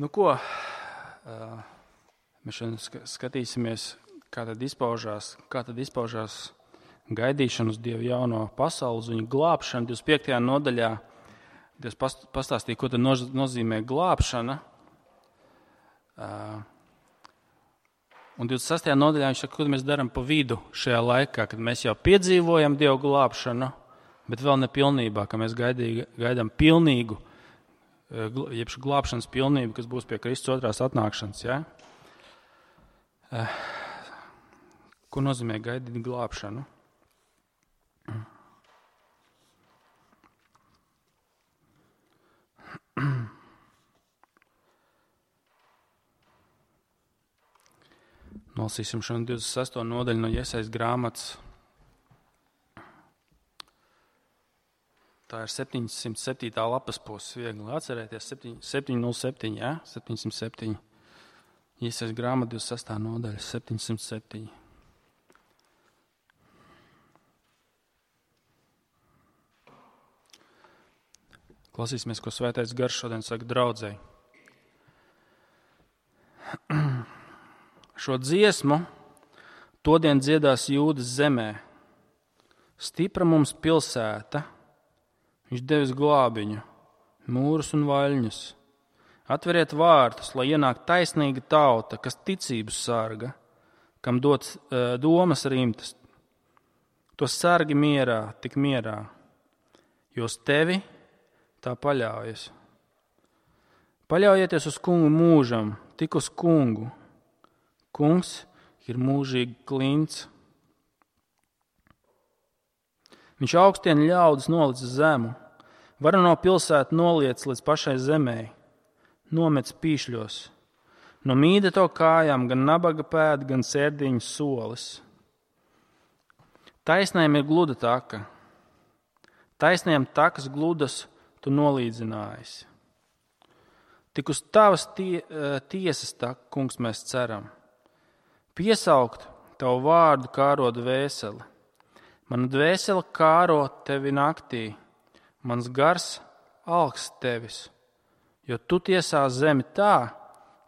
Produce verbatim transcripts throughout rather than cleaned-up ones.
Nu ko, mēs šodien skatīsimies, kā tad izpaužās, kā tad izpaužās gaidīšana uz Dievu jauno pasauli, uz viņu glābšanu. divdesmit piektajā nodaļā Dievs pastāstīja, ko tad nozīmē glābšana. Un divdesmit sestajā nodaļā viņš saka, ko mēs darām pa vidu šajā laikā, kad mēs jau piedzīvojam Dievu glābšanu, bet vēl ne pilnībā, ka mēs gaidī, gaidām pilnīgu, jeb glābšanas pilnību, kas būs pie Kristus otrās atnākšanas. Ja? Ko nozīmē gaidīt glābšanu? Nolasīsim šodien divdesmit sesto nodaļu no Jesajas grāmatas. Tā ir septiņsimt septītā lapas puse. Viegli atcerēties, septiņi nulle septiņi, ja? septiņsimt septiņi. Jesajas grāmata divdesmit sestā nodaļa, septiņsimt septiņi. Klausīsimies, ko Svētais Gars šodien saka draudzei. Šo dziesmu todien dziedās Jūdas zemē. Stipra mums pilsēta, viņš devis glābiņu, mūrus un vaļņus. Atveriet vārtus, lai ienāk taisnīga tauta, kas ticību sarga, kam dots uh, domas rimtas. To sargi mierā, tik mierā, jo uz tevi tā paļaujas. Paļaujieties uz kungu mūžam, tik uz kungu. Kungs ir mūžīgi klints. Viņš augstien ļaudis nolic zemu, varu no pilsētu noliec līdz pašai zemē, nomec pīšļos. No mīda to kājām gan nabaga pēda, gan sērdiņas solis. Taisnēm ir gluda taka, taisnēm takas gludas tu nolīdzinājis. Tik uz tavas tie, tiesas taka, kungs, mēs ceram. Piesaukt tavu vārdu kāro dvēseli. Mana dvēsele kāro tevi naktī, mans gars alkst tevis, jo tu tiesā zemi tā,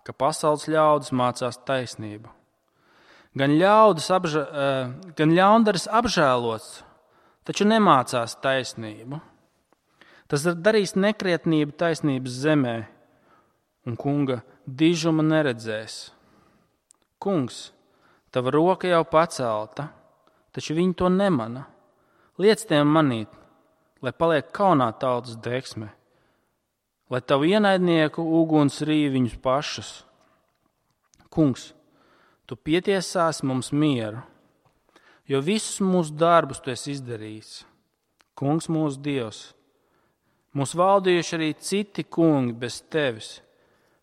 ka pasaules ļaudis mācās taisnību. Gan, apža, gan ļaundaris apžēlots, taču nemācās taisnību. Tas ir darījis nekrietnību taisnības zemē, un kunga dižuma neredzēs. Kungs, tava roka jau pacelta, taču viņi to nemana. Liec tiem manīt, lai paliek kaunā tautas deksme, lai tavu ienaidnieku uguns rīv viņus pašus. Kungs, tu pietiesās mums mieru, jo visus mūsu darbus tu esi izdarījis. Kungs mūsu Dievs, mūs valdījuši arī citi kungi bez tevis,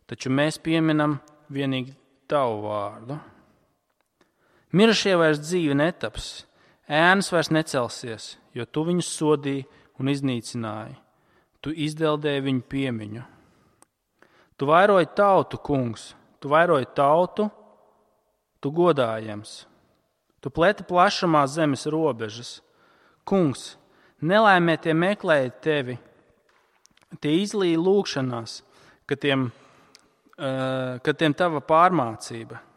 taču mēs pieminam vienīgi tavu vārdu. Mirušie vairs dzīvi netaps, ēnas vairs necelsies, jo tu viņus sodīji un iznīcināji. Tu izdeldēji viņu piemiņu. Tu vairoji tautu, kungs, tu vairoji tautu, tu godājams. Tu pleti plašumā zemes robežas. Kungs, nelaimē tie meklēja tevi, tie izlīja lūgšanās, ka tiem, uh, ka tiem tava pārmācība.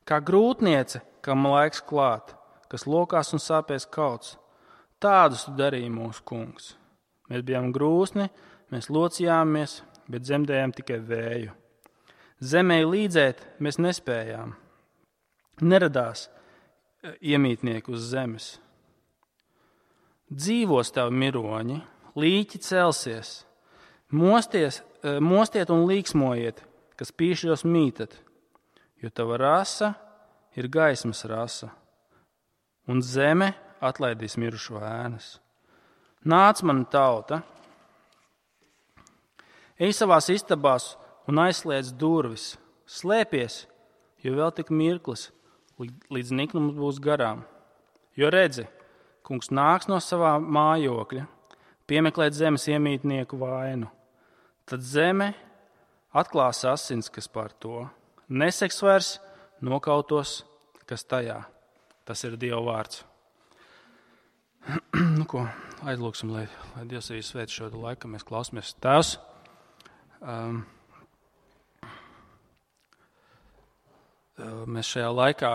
Kā grūtniece, kam laiks klāt, kas lokās un sāpēs kauts, tādus tu darīji mūsu kungs. Mēs bijām grūsni, mēs locījāmies, bet dzemdējām tikai vēju. Zemē līdzēt mēs nespējām. Neradās iemītnieki uz zemes. Dzīvos tavi miroņi, līķi celsies, mosties, mostiet un līksmojiet, kas pīšļos mītat. Jo tava rasa ir gaismas rasa, un zeme atlaidīs mirušo ēnas. Nāc, mana tauta, ej savās istabās un aizslēdz durvis, slēpies, jo vēl tik mirklis, līdz niknums būs garām. Jo redzi, kungs nāks no savā mājokļa, piemeklēt zemes iemītnieku vainu. Tad zeme atklās asins, kas par to. Neseks vairs nokautos, kas tajā. Tas ir Dieva vārds. Nu ko, aizlūksim, lai, lai Dievs arī svēt šo laiku, mēs klausāmies. Tēvs, um, mēs šajā laikā,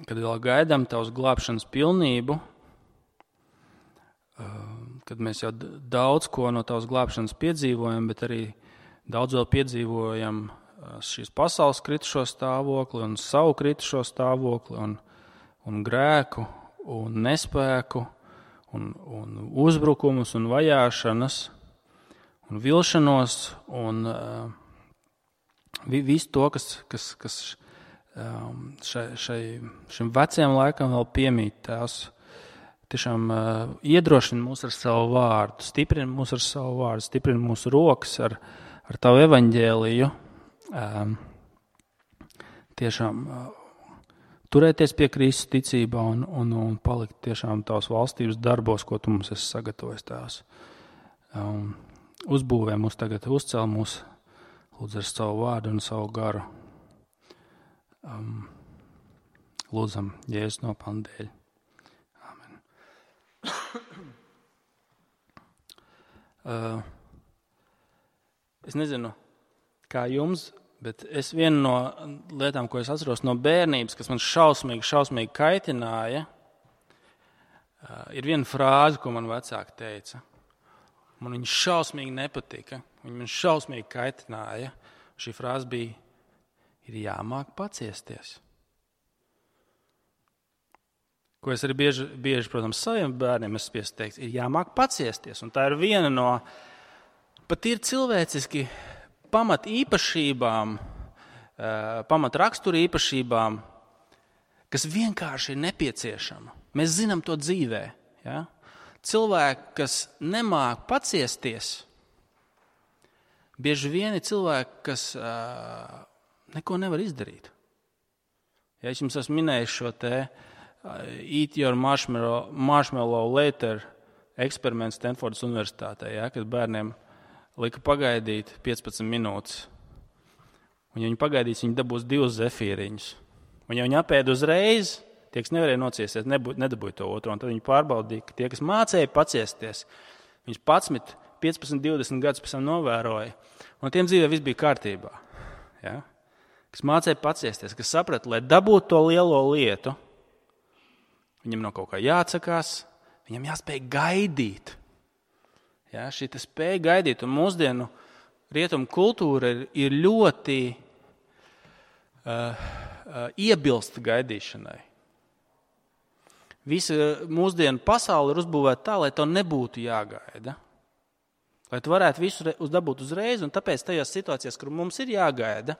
kad vēl gaidām tavas glābšanas pilnību, kad mēs jau daudz ko no tavas glābšanas piedzīvojam, bet arī daudz vēl piedzīvojam šīs pasaules kritušo stāvokli un savu kritušo stāvokli un, un grēku un nespēku un, un uzbrukumus un vajāšanas un vilšanos un uh, visu to, kas, kas, kas um, šai, šai, šim vecajam laikam vēl piemīt. Tās tiešām uh, iedrošina mūs ar savu vārdu, stiprina mūs ar savu vārdu, stiprina mūsu rokas ar, ar tavu evaņģēliju. Um, tiešām uh, turēties pie Kristus ticībā un, un, un palikt tiešām tavas valstības darbos, ko tu mums esi sagatavojis tās. Um, uzbūvē mūs tagad, uzcēl mūs, lūdzu ar savu vārdu un savu garu. Um, lūdzam, Jēzus nopelna dēļ. Amen. uh, es nezinu, kā jums, bet es vienu no lietām, ko es atceros no bērnības, kas man šausmīgi, šausmīgi kaitināja, uh, ir viena frāze, ko man vecāki teica. Man viņa šausmīgi nepatika, viņa man šausmīgi kaitināja. Šī frāze bija, ir jāmāk paciesties. Ko es arī bieži, bieži protams, saviem bērniem esmu spiests teikt, ir jāmāk paciesties. Un tā ir viena no pat ir cilvēciski pamat īpašībām, pamat rakstura īpašībām, kas vienkārši ir nepieciešama. Mēs zinām to dzīvē. Ja? Cilvēki, kas nemāk paciesties, bieži vien ir cilvēki, kas uh, neko nevar izdarīt. Ja es jums esmu minējis šo te uh, Eat your marshmallow, marshmallow later eksperimentu Stanfordas universitātē, ja, kad bērniem lika pagaidīt piecpadsmit minūtes. Un ja viņi pagaidīs, viņi dabūs divus zefīriņus. Un ja viņi apēda uzreiz, tie, kas nevarēja nociesties, nedabūja to otro. Un tad viņi pārbaudīja, ka tie, kas mācēja paciesties, viņš padsmit, piecpadsmit, divdesmit gadus pēc tam novēroja. Un tiem dzīvē viss bija kārtībā. Ja? Kas mācēja paciesties, kas saprata, lai dabūtu to lielo lietu, viņam no kaut kā jāatsakās, viņam jāspēj gaidīt. Ja? Šī te spēja gaidīt. Un mūsdienu rietumu kultūra ir, ir ļoti uh, uh, iebilsta gaidīšanai. Visa mūsdienu pasaule ir uzbūvēta tā, lai to nebūtu jāgaida. Lai tu varētu visu dabūt uzreiz, un tāpēc tajās situācijās, kur mums ir jāgaida,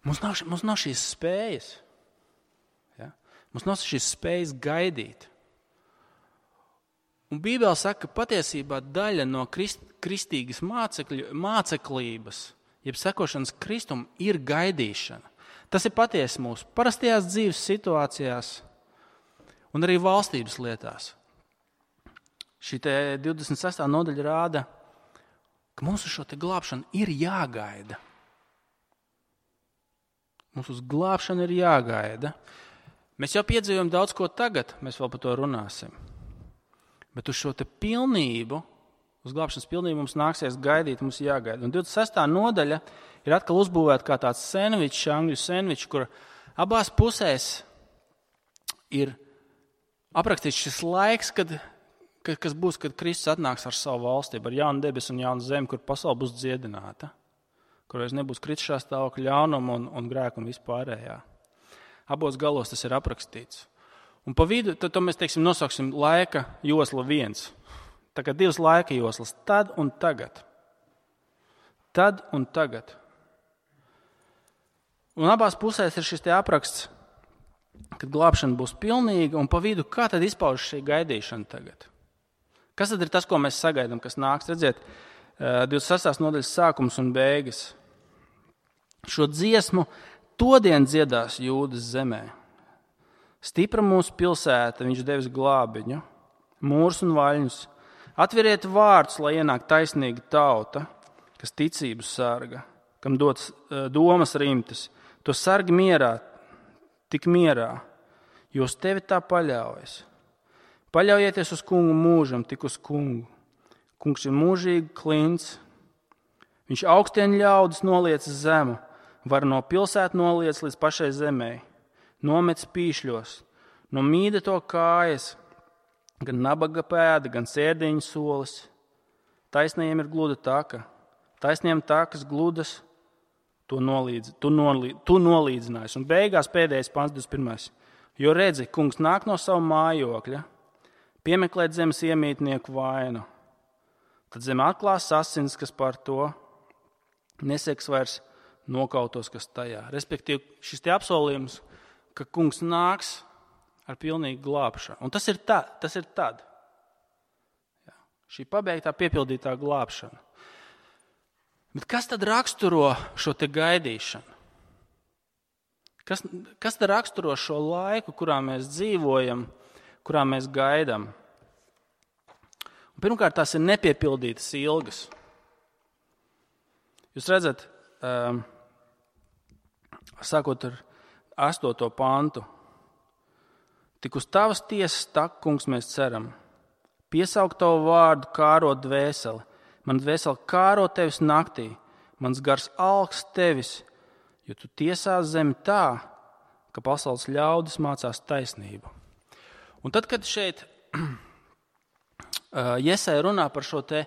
mums nav, mums nav šīs spējas. Ja? Mums nav šīs spējas gaidīt. Un Bībele saka, ka patiesībā daļa no krist, kristīgas mācekļu, māceklības, jeb sekošanas Kristum, ir gaidīšana. Tas ir patiesi mūsu parastajās dzīves situācijās un arī valstības lietās. Šī te divdesmit sestā nodaļa rāda, ka mums uz šo te glābšanu ir jāgaida. Mums uz glābšanu ir jāgaida. Mēs jau piedzīvojam daudz ko tagad, mēs vēl par to runāsim. Bet uz šo te pilnību, uz glābšanas pilnību mums nāksies gaidīt, mums jāgaida. Un divdesmit sestā nodaļa ir atkal uzbūvēta kā tāds sandvičs, angļu sandvičs, kur abās pusēs ir aprakstīts šis laiks, kad, kad, kas būs, kad Kristus atnāks ar savu valstību, ar jaunu debesu un jaunu zemi, kur pasaule būs dziedināta, kur vairs nebūs kritušā stāvokļa ļaunuma un, un grēka un vispārējā. Abos galos tas ir aprakstīts. Un pa vidu, tad to mēs, teiksim, nosauksim laika josla viens. Tā kā divas laika joslas, tad un tagad. Tad un tagad. Un abās pusēs ir šis te apraksts, kad glābšana būs pilnīga, un pa vidu, kā tad izpaužas šī gaidīšana tagad? Kas tad ir tas, ko mēs sagaidām, kas nāks? Redziet, divdesmit sestās nodaļas sākums un beigas. Šo dziesmu todien dziedās Jūdas zemē. Stipra mūsu pilsēta, viņš devis glābiņu, mūrus un vaļņus. Atveriet vārdus, lai ienāk taisnīga tauta, kas ticību sarga, kam dots domas rimtas. To sargi mierā, tik mierā, jo uz tevi tā paļaujas. Paļaujieties uz kungu mūžam, tik uz kungu. Kungs ir mūžīgi klints. Viņš augstien ļaudis noliec zemu, var no pilsētu noliec līdz pašai zemē, nomets pīšļos, no mīda to kājas, gan nabaga pēda, gan sērdiņa solis. Taisnajiem ir gluda taka, taisnajiem takas gludas, tu, nolīdz, tu, nolīdz, tu nolīdzinājis. Un beigās pēdējais pants divdesmit pirmais. Jo redzi, kungs nāk no savu mājokļa, piemeklēt zemes iemītnieku vainu. Tad zeme atklās asins, kas par to neseks vairs nokautos, kas tajā. Respektīvi, šis te apsolījums, ka kungs nāks ar pilnīgu glābšanu. Un tas ir, tā, tas ir tad. Jā. Šī pabeigtā, piepildītā glābšana. Bet kas tad raksturo šo te gaidīšanu? Kas, kas tad raksturo šo laiku, kurā mēs dzīvojam, kurā mēs gaidām? Un pirmkārt, tās ir nepiepildītas ilgas. Jūs redzat, um, sākot ar astoto pantu, tik uz tavas tiesas tak, kungs, mēs ceram. Piesaukt tavu vārdu, kārot dvēseli. Man dvēseli kāro tevis naktī, mans gars alks tevis, jo tu tiesās zemi tā, ka pasaules ļaudis mācās taisnību. Un tad, kad šeit Jesaja runā par šo te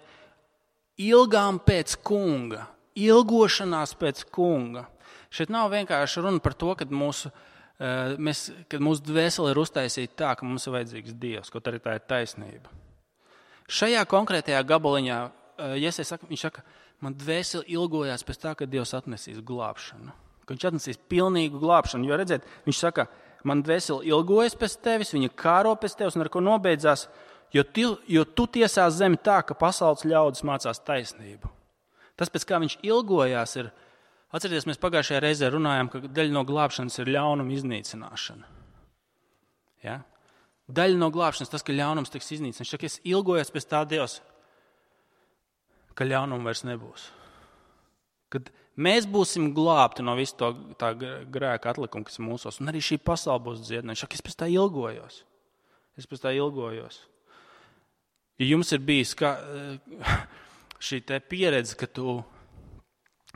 ilgām pēc kunga, ilgošanās pēc kunga, šeit nav vienkārši runa par to, kad mūsu, mēs, kad mūsu dvēseli ir uztaisīta tā, ka mums ir vajadzīgs Dievs, kaut arī tā ir taisnība. Šajā konkrētajā gabaliņā Jesaja saka, viņš saka, man dvēseli ilgojās pēc tā, ka Dievs atnesīs glābšanu. Ka viņš atnesīs pilnīgu glābšanu. Jo redziet, viņš saka, man dvēseli ilgojas pēc tevis, viņa kāro pēc tevis un ar ko nobeidzās, jo, tu, jo tu tiesās zemi tā, ka pasaules ļaudis mācās taisnību. Tas, pēc kā viņš ilgojās, ir, atcerieties, mēs pagājušajā reizē runājām, ka daļa no glābšanas ir ļaunuma iznīcināšana. Ja? Daļa no glābšanas, tas, ka ļaunums tiks iznīcināts. Viņš saka, es ilgojos pēc tā Dievs, ka ļaunuma vairs nebūs. Kad mēs būsim glābti no visu to tā grēka atlikuma, kas ir mūsos, un arī šī pasaule būs dziedināta. Viņš saka, es pēc tā ilgojos. Es pēc tā ilgojos. Ja jums ir bijis kā, šī te pieredze, ka tu,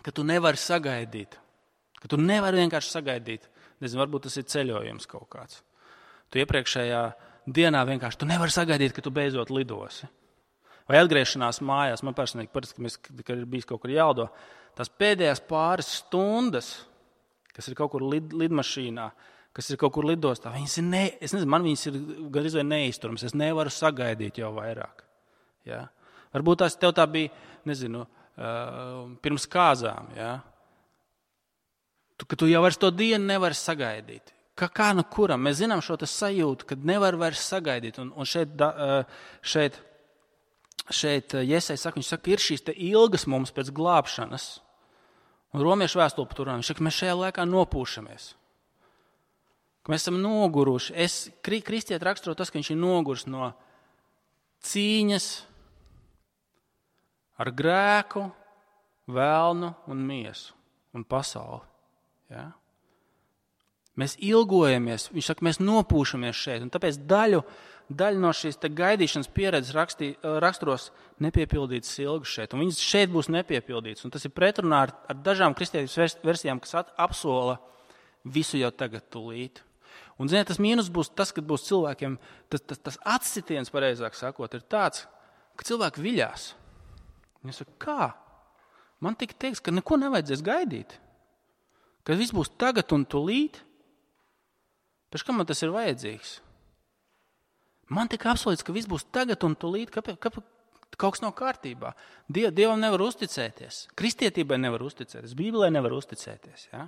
ka tu nevari sagaidīt, ka tu nevari vienkārši sagaidīt, nezinu, varbūt tas ir ceļojums kaut kāds. Tu iepriekšējā dienā vienkārši, tu nevari sagaidīt, ka tu beidzot lidosi. Vai atgriešanās mājās, man personīgi parasti, ka, mēs, ka ir bijis kaut kur jālido, tās pēdējās pāris stundas, kas ir kaut kur lid, lidmašīnā, kas ir kaut kur lidostā, viņas ir, ne, es nezinu, man viņas ir gandrīz vai neizturams, es nevaru sagaidīt jau vairāk. Ja? Varbūt tās tev tā bija, nezinu, uh, pirms kāzām, ja? tu, ka tu jau vairs to dienu nevari sagaidīt. Kā, kā nu kuram? Mēs zinām šo tas sajūtu, kad nevar vairs sagaidīt, un, un šeit, uh, šeit Šeit Jesaja saka, viņš saka, ir šīs te ilgas mums pēc glābšanas. Un romiešu vēstule tur, viņš saka, mēs šajā laikā nopūšamies. Ka mēs esam noguruši. Es, kristieti raksturo tas, ka viņš ir noguris no cīņas ar grēku, velnu un miesu un pasauli. Ja? Mēs ilgojamies, viņš saka, mēs nopūšamies šeit. Un tāpēc daļu Daļa no šīs gaidīšanas pieredzes rakstī, raksturos nepiepildītas ilgas šeit. Un viņas šeit būs nepiepildītas. Un tas ir pretrunā ar, ar dažām kristietības versijām, kas at, apsola visu jau tagad tūlīt. Un, ziniet, tas mīnus būs tas, kad būs cilvēkiem, tas, tas, tas atsitiens, pareizāk sakot, ir tāds, ka cilvēki viļās. Viņi saka, kā? Man tika teiks, ka neko nevajadzēs gaidīt. Ka viss būs tagad un tūlīt. Pēc kam man tas ir vajadzīgs? Man tika apsolīts, ka viss būs tagad un tūlīt, ka, ka kaut kas nav kārtībā. Diev, Dievam nevar uzticēties, kristietībai nevar uzticēties, Bībelē nevar uzticēties. Ja,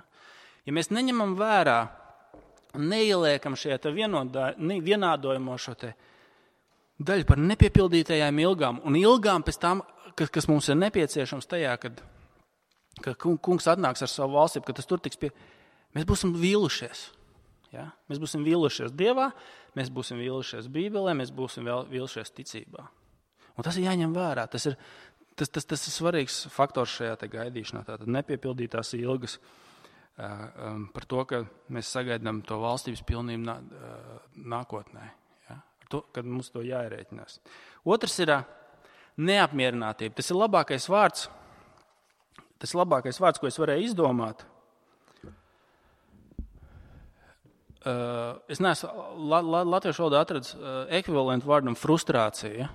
ja mēs neņemam vērā un neieliekam šajā vienodā, vienādojumā šo te daļu par nepiepildītajām ilgām un ilgām pēc tām, kas, kas mums ir nepieciešams tajā, kad, kad kungs atnāks ar savu valstību, kad tas tur tiks pie... Mēs būsim vīlušies. Ja? Mēs būsim vīlušies Dievā, mēs būsim vīlušies Bībelē, mēs būsim vīlušies ticībā. Un tas ir jāņem vērā. Tas ir, tas, tas, tas ir svarīgs faktors šajā te gaidīšanā. Tātad nepiepildītās ilgas uh, um, par to, ka mēs sagaidām to valstības pilnību nā, uh, nākotnē. Ja? Ar to, kad mums to jāierēķinās. Otrs ir uh, neapmierinātība. Tas ir labākais vārds, tas ir labākais vārds, ko es varēju izdomāt. uh, es neesmu la, la, latviešu valodā atradis uh, ekvivalentu vārdam frustrācija.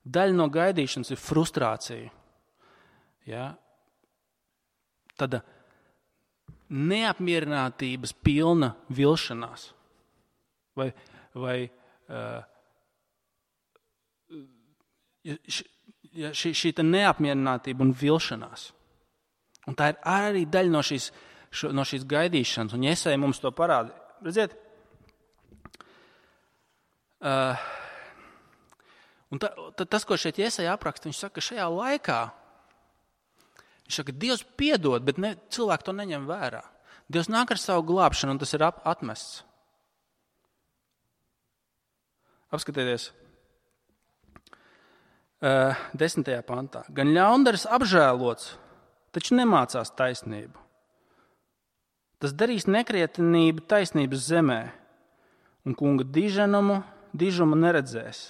Daļa no gaidīšanas ir frustrācija. Ja? Tāda neapmierinātības pilna vilšanās. Vai, vai uh, ja šī, šī neapmierinātība un vilšanās. Un tā ir arī daļa no šīs, šo, no šīs gaidīšanas. Un Jesaja mums to parāda. Redziet? Uh, un ta, ta, tas, ko šeit Jesaja apraksta, viņš saka, ka šajā laikā viņš saka, Dievs piedod, bet ne, cilvēki to neņem vērā. Dievs nāk ar savu glābšanu, un tas ir ap, atmests. Apskatieties. Uh, desmitajā pantā. Gan ļaundaris apžēlots, taču nemācās taisnību. Tas darīs nekrietenību taisnības zemē, un kunga diženumu, dižumu neredzēs.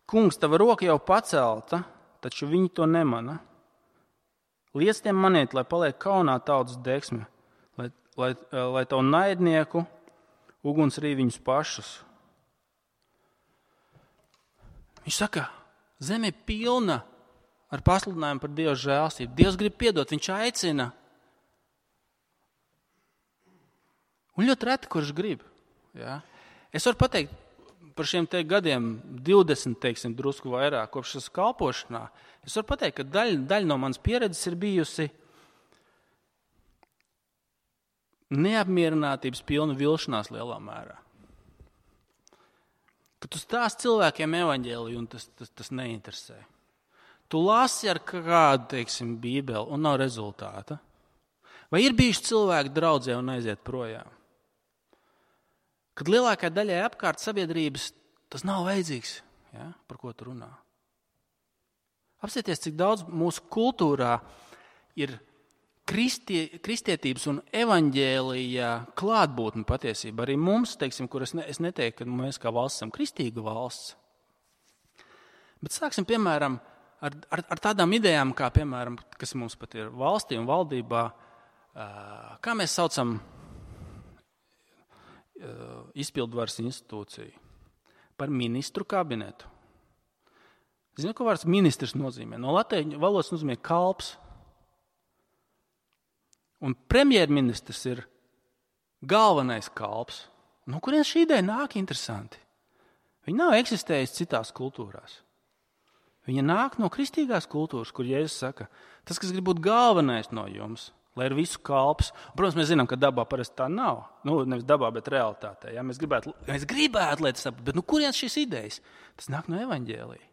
Kungs, tava roka jau pacelta, taču viņi to nemana. Liec tiem maniet, lai paliek kaunā tautas deksme, lai, lai, lai tavu naidnieku uguns rī viņus pašus. Viņš saka, zeme ir pilna ar pasludinājumu par Dieva žēlstību. Dievs grib piedot, viņš aicina. Un ļoti reti, kurš grib. Ja? Es varu pateikt par šiem te gadiem, divdesmit, teiksim, drusku vairāk, kopš es kalpošanā. Es varu pateikt, ka daļa, daļa no manas pieredzes ir bijusi neapmierinātības pilna vilšanās lielā mērā. Kad tu stāsti cilvēkiem evaņģēliju, un tas, tas, tas neinteresē. Tu lasi ar kādu, teiksim, bībeli, un nav rezultāta. Vai ir bijuši cilvēki draudzē un aiziet projām? Kad lielākai daļai apkārt sabiedrības tas nav vajadzīgs, ja, par ko tu runā. Apsieties, cik daudz mūsu kultūrā ir kristie, kristietības un evaņģēlija klātbūtne patiesība. Arī mums, teiksim, kur es, ne, es neteiktu, ka mēs kā valsts esam kristīga valsts. Bet sāksim, piemēram, ar, ar, ar tādām idejām, kā, piemēram, kas mums pat ir valstī un valdībā, kā mēs saucam izpildvaras institūciju par ministru kabinetu. Zinu, ko vārds ministrs nozīmē? No latviešu valodas nozīmē kalps. Un premjerministrs ir galvenais kalps. No kurienes šī ideja nāk interesanti? Viņa nav eksistējusi citās kultūrās. Viņa nāk no kristīgās kultūras, kur Jēzus saka, tas, kas grib būt galvenais no jums, lai ir visu kalps. Un, protams, mēs zinām, ka dabā parasti tā nav. Nu, nevis dabā, bet realitātē. Ja? Mēs gribētu, mēs gribētu, lai tas saprot. Bet nu, kurienes šīs idejas? Tas nāk no evaņģēlija.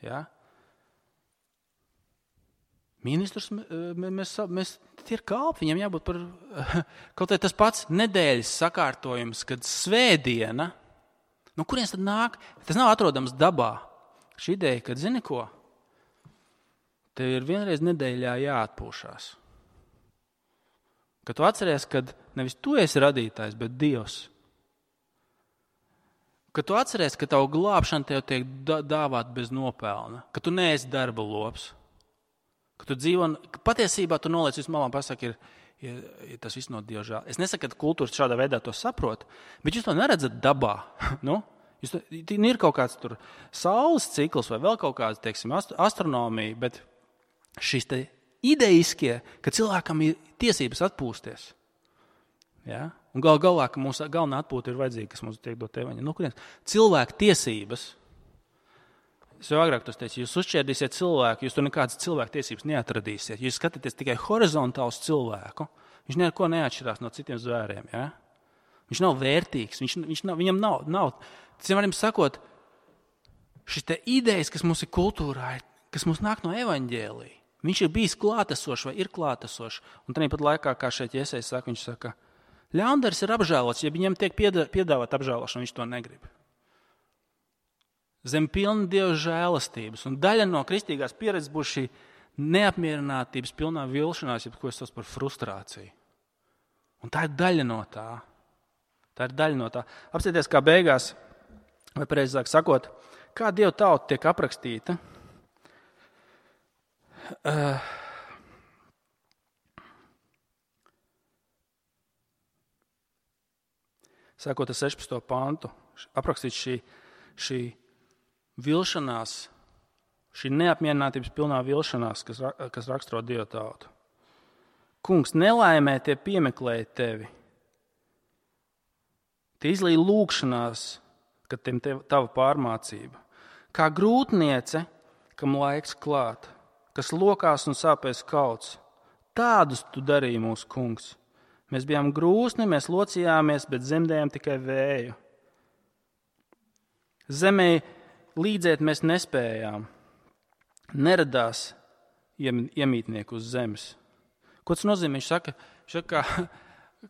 Ja? Ministrs, mēs, mēs, tie ir kalpi, viņam jābūt par, kaut arī tas pats nedēļas sakārtojums, kad svētdiena, nu, kurienes tad nāk? Tas nav atrodams dabā. Šī ideja, kad zini ko? Tev ir vienreiz nedēļā jāatpūšās. Kad tu atceries, kad nevis tu esi radītājs, bet Dievs. Kad tu atceries, ka tavu glābšana tev tiek dāvāt bez nopelna. Ka tu neesi darba lops. Ka tu dzīvo, ka patiesībā tu noliec visu malā un pasaki, ir, ir, ir tas viss no Dieva žēl. Es nesaku, ka kultūras šādā veidā to saprot, bet jūs to neredzat dabā. Nu? Jūs to, ir kaut kāds tur saules cikls vai vēl kaut kāds, teiksim, astronomija, bet šis te ideiskie, ka cilvēkam ir tiesības atpūsties. Ja? Un gal galā, ka mūsu galvenā atpūta ir vajadzīga, kas mums tiek dot evaņģēlija. Nu, kurienes? Cilvēku tiesības. Es jau agrāk tos teicu, jūs uzšķērdīsiet cilvēku, jūs tur nekādas cilvēku tiesības neatradīsiet. Jūs skatāties tikai horizontāls cilvēku, viņš neko neatšķirās no citiem zvēriem. Ja? Viņš nav vērtīgs, viņš, viņš nav, viņam nav, nav. Citiem sakot, šis te idejas, kas mums ir kultūrā, kas mums nāk no evaņģēlija, viņš ir bijis klātesošs vai ir klātesošs. Un tad pat laikā, kā šeit Jesaja saka, viņš saka, ļaundaris ir apžēlots, ja viņam tiek piedāvāt apžēlošanu, viņš to negrib. Zem pilna Dieva žēlastības. Un daļa no kristīgās pieredzes būs šī neapmierinātības pilnā vilšanās, ja ko es saucu par frustrāciju. Un tā ir daļa no tā. Tā ir daļa no tā. Apsieties, kā beigās, vai pareizāk sakot, kā Dieva tauta tiek aprakstīta. Uh, sākot ar sešpadsmito pantu, aprakstīts šī, šī vilšanās, šī neapmierinātības pilnā vilšanās, kas, kas raksturo Dieva tautu. Kungs, nelaimē tie piemeklēja tevi. Tie izlīja lūgšanās, kad tiem tev, tava pārmācība. Kā grūtniece, kam laiks klāt, kas lokās un sāpēs kauts. Tādus tu darīji mūsu kungs. Mēs bijām grūsni, mēs locījāmies, bet zemdējām tikai vēju. Zemē līdzēt mēs nespējām. Neradās iemītnieku uz zemes. Ko tas nozīmē? Viņš saka, viņš saka kā,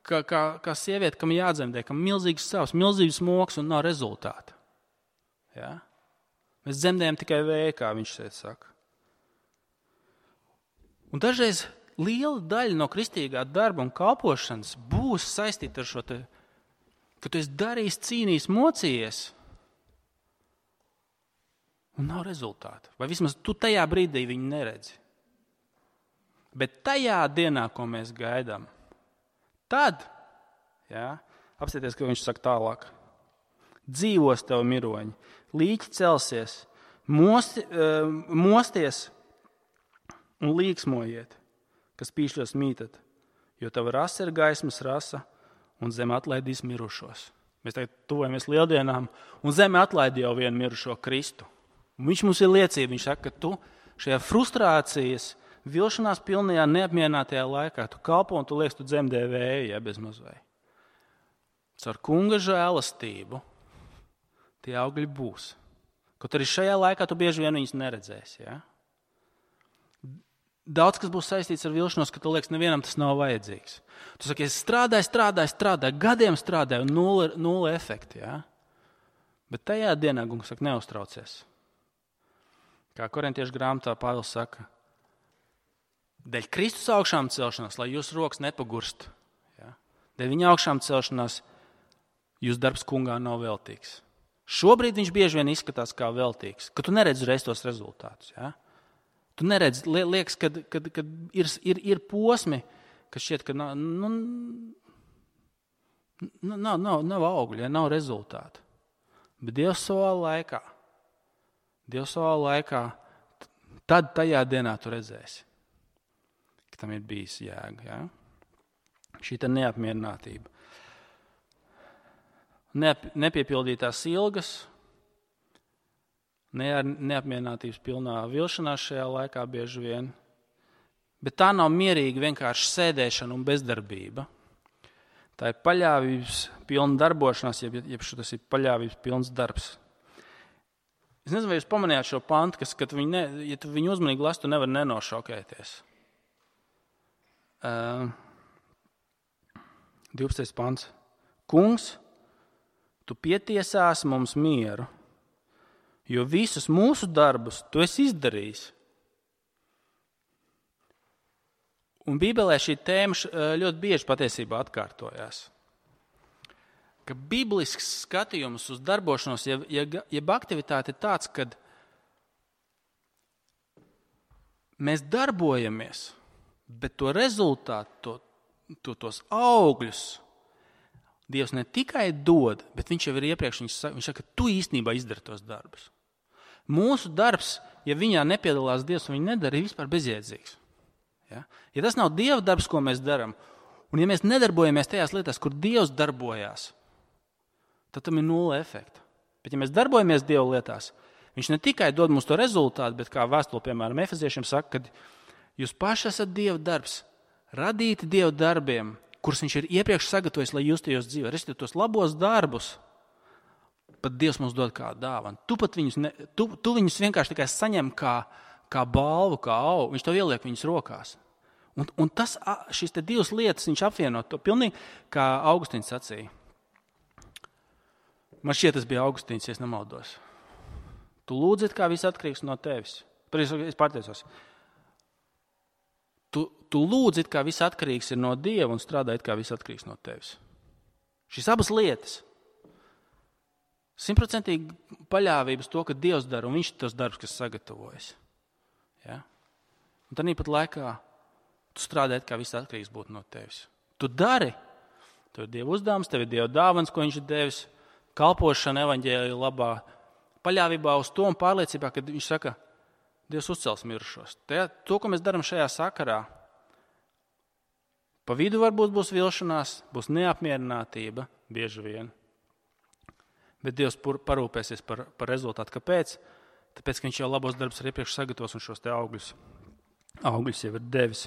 kā, kā, kā sieviete, kam jādzemdē, kam milzīgs savs, milzīgs moks un nav rezultāta. Ja? Mēs dzemdējam tikai vēju, kā viņš šeit saka. Un dažreiz liela daļa no kristīgā darba un kalpošanas būs saistīta ar šo te, ka tu esi darījis, cīnījis, mocījies un nav rezultāta. Vai vismaz tu tajā brīdī viņu neredzi. Bet tajā dienā, ko mēs gaidām, tad, jā, apstāties, ka viņš saka tālāk, dzīvos tev miroņi, līķi celsies, mosti, uh, mosties un līksmojiet, kas pīšļos mītat, jo tava rasa ir gaismas rasa, un zeme atlaidīs mirušos. Mēs tagad tuvojamies lieldienām, un zeme atlaida jau vienu mirušo Kristu. Un viņš mums ir liecība, viņš saka, ka tu šajā frustrācijas, vilšanās pilnajā neapmierinātajā laikā, tu kalpo un tu liekas, tu dzemdē vēju, ja bez mazvai. Caur kunga žēlastību tie augļi būs. Kaut arī šajā laikā tu bieži vien viņus neredzēsi, ja? Daudz, kas būs saistīts ar vilšanos, ka tu liekas, nevienam tas nav vajadzīgs. Tu saki, es strādāju, strādāju, strādāju, gadiem strādāju, un nulle, nulle efekti, ja? Bet tajā dienā, kungs saka, neuztraucies. Kā Korintiešu grāmatā Pāvils saka, dēļ Kristus augšām celšanās, lai jūsu rokas nepagurst. Ja? Dēļ viņa augšām celšanās, jūsu darbs kungā nav veltīgs. Šobrīd viņš bieži vien izskatās kā veltīgs, ka tu neredzi reiz tos rezultātus, ja? Tu neredzi, liekas, kad, kad, kad ir, ir, ir posmi, kas šķiet, ka nav, nu, nav, nav, nav augļi, ja, nav rezultātu. Bet Dievs savā laikā, Dievs savā laikā, tad tajā dienā tu redzēsi, ka tam ir bijis jēga. Ja? Šī tā neapmierinātība. Neap, nepiepildītās ilgas, Ne, neapmierinātības pilnā vilšanās šajā laikā bieži vien. Bet tā nav mierīga vienkārši sēdēšana un bezdarbība. Tā ir paļāvības pilna darbošanās, jeb, jeb tas ir paļāvības pilns darbs. Es nezinu, vai jūs pamanījāt šo pantu, kas, kad viņi ne, ja tu viņu uzmanīgi lasi, tu nevari nenošokēties. Uh, divpadsmitais pants. Kungs, tu pietiesās mums mieru, jo visus mūsu darbus tu esi izdarījis. Un Bībelē šī tēma ļoti bieži patiesībā atkārtojās. Ka biblisks skatījums uz darbošanos, jeb, jeb aktivitāte ir tāds, kad mēs darbojamies, bet to rezultātu, to, to, tos augļus Dievs ne tikai dod, bet viņš jau ir iepriekš, viņš saka, viņš saka, ka tu īstenībā izdari tos darbus. Mūsu darbs, ja viņā nepiedalās Dievs un viņi nedara, ir vispār bezjēdzīgs. Ja? Ja tas nav Dieva darbs, ko mēs darām, un ja mēs nedarbojamies tajās lietās, kur Dievs darbojās, tad tam ir nulle efekta. Bet ja mēs darbojamies Dieva lietās, viņš ne tikai dod mums to rezultātu, bet kā vēstule, piemēram, Efeziešiem saka, ka jūs paši esat Dieva darbs, radīti Dieva darbiem, kurus viņš ir iepriekš sagatavojis, lai jūs tajos dzīvē. Respektīvi, tos labos darbus pat Dievs mums dod kā dāvanu. Tu, pat viņus, ne, tu, tu viņus vienkārši tikai saņem kā, kā balvu, kā augu. Viņš to ieliek viņus rokās. Un, un tas, šīs te divas lietas viņš apvieno to pilnīgi, kā Augustīns sacīja. Man šķiet, tas bija Augustīns, ja es nemaldos. Tu lūdzit, kā viss atkarīgs no tevis. Es pārteicos. Tu, tu lūdzi, kā viss atkarīgs ir no Dieva un strādājot, kā viss atkarīgs no tevis. Šīs abas lietas. Simtprocentīgi paļāvības to, ka Dievs dara un viņš ir tos darbs, kas sagatavojas. Ja? Un tad pat laikā tu strādājot, kā viss atkarīgs būtu no tevis. Tu dari, Tev ir Dieva uzdevums, tev ir Dieva dāvans, ko viņš ir devis, kalpošana evaņģēlija labā, paļāvībā uz to un pārliecībā, ka viņš saka, Dievs uzcels mirušos. Te, to, ko mēs darām šajā sakarā, pa vidu varbūt būs vilšanās, būs neapmierinātība, bieži vien. Bet Dievs parūpēsies par, par rezultātu. Kāpēc? Tāpēc, ka viņš jau labos darbus ir iepriekš sagatavos un šos te augļus, augļus jau ir devis.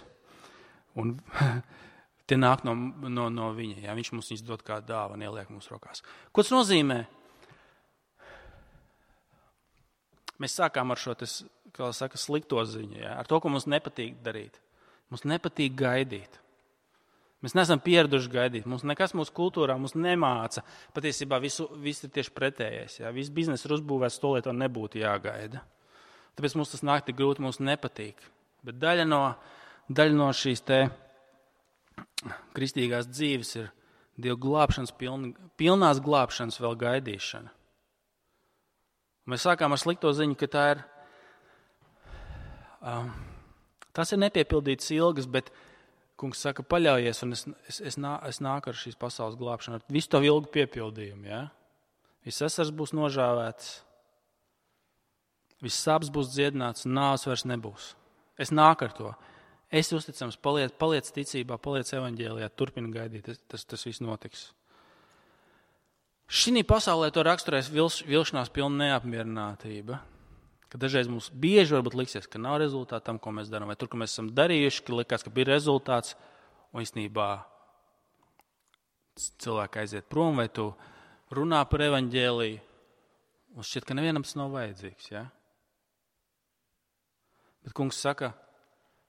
Un tie nāk no, no, no viņa. Jā, viņš mums viņus dod kā dāvanu, ieliek mums rokās. Ko tas nozīmē? Mēs sākām ar šo, tas, kā saka, slikto ziņu, jā, ar to, ko mums nepatīk darīt. Mums nepatīk gaidīt. Mēs neesam pieraduši gaidīt. Mums nekas mūsu kultūrā mums nemāca. Patiesībā visu, viss ir tieši pretējais. Jā. Viss bizness ir uzbūvēts to, lai to nebūtu jāgaida. Tāpēc mums tas nāk tik grūti, mums nepatīk. Bet daļa no, daļa no šīs te kristīgās dzīves ir Dieva glābšanas, piln, pilnās glābšanas vēl gaidīšana. Mēs sākām ar slikto ziņu, ka tā ir, um, tas ir nepiepildīts ilgas, bet Kungs saka, paļaujies, un es, es, es, nā, es nāku ar šīs pasaules glābšanu, ar visu to ilgu piepildījumu. Ja? Viss esars būs nožāvēts, viss sāpes būs dziedināts, un nāves vairs nebūs. Es nāku ar to. Es uzticams, paliec, paliec ticībā, paliec evaņģēlijā, turpini gaidīt, tas, tas, tas viss notiks. Šī pasaulē to raksturēs vilš, vilšanās pilna neapmierinātība. Ka dažreiz mums bieži varbūt liksies, ka nav rezultāta tam, ko mēs darām, vai tur, ko mēs esam darījuši, ka likās, ka bija rezultāts, un īstenībā cilvēki aiziet prom, vai tu runā par evaņģēliju, un šķiet, ka nevienam tas nav vajadzīgs. Ja? Bet Kungs saka,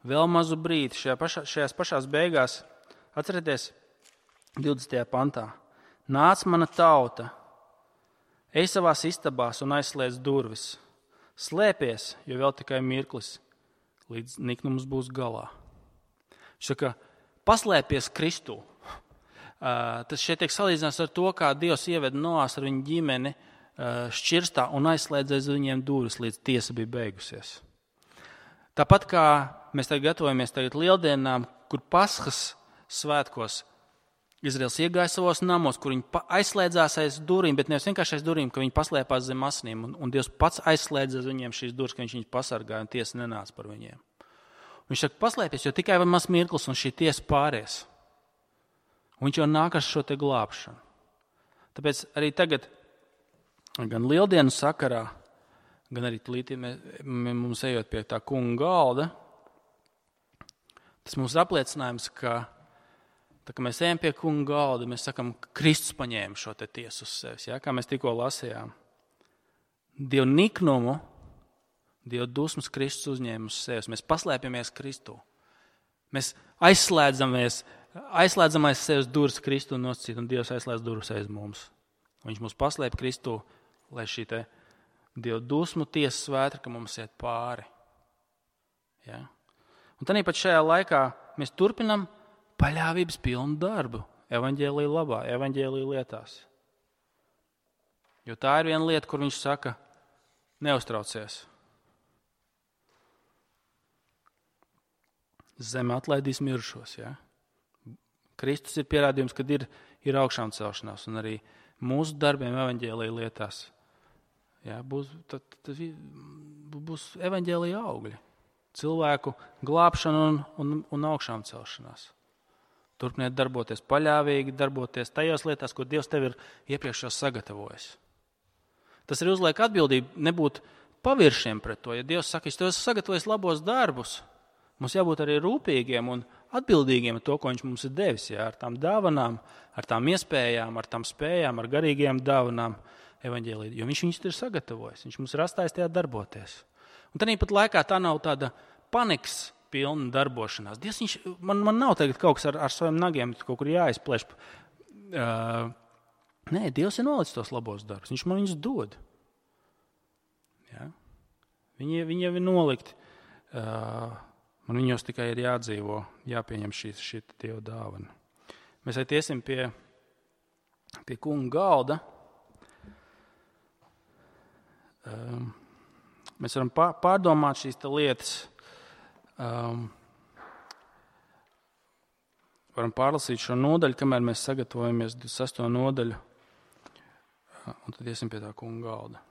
vēl mazu brīdi, šajā pašā, šajās pašās beigās, atcerieties, divdesmitajā pantā, nāc mana tauta, ej savās istabās un aizslēdz durvis. Slēpies, jo vēl tikai mirklis, līdz niknums būs galā. Viņš saka, paslēpies Kristū. Uh, tas šeit tiek salīdzināts ar to, kā Dievs ieveda Noās ar viņu ģimeni uh, šķirstā un aizslēdz aiz viņiem durvis, līdz tiesa bija beigusies. Tāpat kā mēs tagad gatavojamies tagad lieldienām, kur Paskas svētkos Izraels iegāja savos namos, kur viņi aizslēdzās aiz durvīm, bet nevis vienkārši aiz durvīm, ka viņi paslēpās zem asinīm, un, un Dievs pats aizslēdza viņiem šīs durvis, ka viņš viņus pasargāja un tiesa nenāca par viņiem. Un viņš saka, paslēpies, jo tikai vēl maz mirklis un šī tiesa pāries. Un viņš jau nāk ar šo te glābšanu. Tāpēc arī tagad, gan lieldienu sakarā, gan arī tlītī mums ejot pie tā kunga galda, tas mums ir apliecinājums, ka tā kā mēs ejam pie kunga galda, mēs sakam, ka Kristus paņēma šo te tiesu uz sevis, ja? Kā mēs tikko lasījām. Dievu niknumu, Dievu dusmas Kristus uzņēma uz sevis. Mēs paslēpjamies Kristū. Mēs aizslēdzamies, aizslēdzam aiz sevis durvis Kristu un nosacīt, un Dievs aizslēdz durvis aiz mums. Viņš mūs paslēp Kristū, lai šī te Dievu dusmu tiesas vētra, ka mums iet pāri. Ja? Un tad pat šajā laikā mēs turpinam paļāvības pilnu darbu, evaņģēlija labā, evaņģēlija lietās. Jo tā ir viena lieta, kur viņš saka, neuztraucies. Zeme atlaidīs mirušos. Ja? Kristus ir pierādījums, kad ir, ir augšām celšanās, un arī mūsu darbiem evaņģēlija lietās. Ja? Būs, tad, tad būs evaņģēlija augļi. Cilvēku glābšana un, un, un augšām celšanās. Turpiniet darboties paļāvīgi, darboties tajās lietās, ko Dievs tev ir iepriekš jau sagatavojis. Tas ir uzliek atbildību nebūt paviršiem pret to. Ja Dievs saka, es tev esmu sagatavojis labos darbus, mums jābūt arī rūpīgiem un atbildīgiem ar to, ko viņš mums ir devis. Jā, ar tām dāvanām, ar tām iespējām, ar tām spējām, ar garīgajām dāvanām evaņģēlī. Jo viņš viņus ir sagatavojis, viņš mums ir atstājis tajā darboties. Un tad pat laikā tā nav tāda panikas pilna darbošanās. Dievs, viņš, man, man nav tagad kaut kas ar, ar saviem nagiem, kaut kur jāizplēš. Uh, nē, Dievs ir nolicis tos labos darbus. Viņš man viņus dod. Ja? Viņi, viņi jau ir nolikti. Uh, man viņos tikai ir jādzīvo, jāpieņem šī, šī Dieva dāvana. Mēs arī tiesim pie, pie kunga galda. Uh, mēs varam pārdomāt šīs lietas. Um, varam pārlasīt šo nodaļu, kamēr mēs sagatavojamies divdesmit sesto nodaļu. Un tad iesim pie tā kunga galda.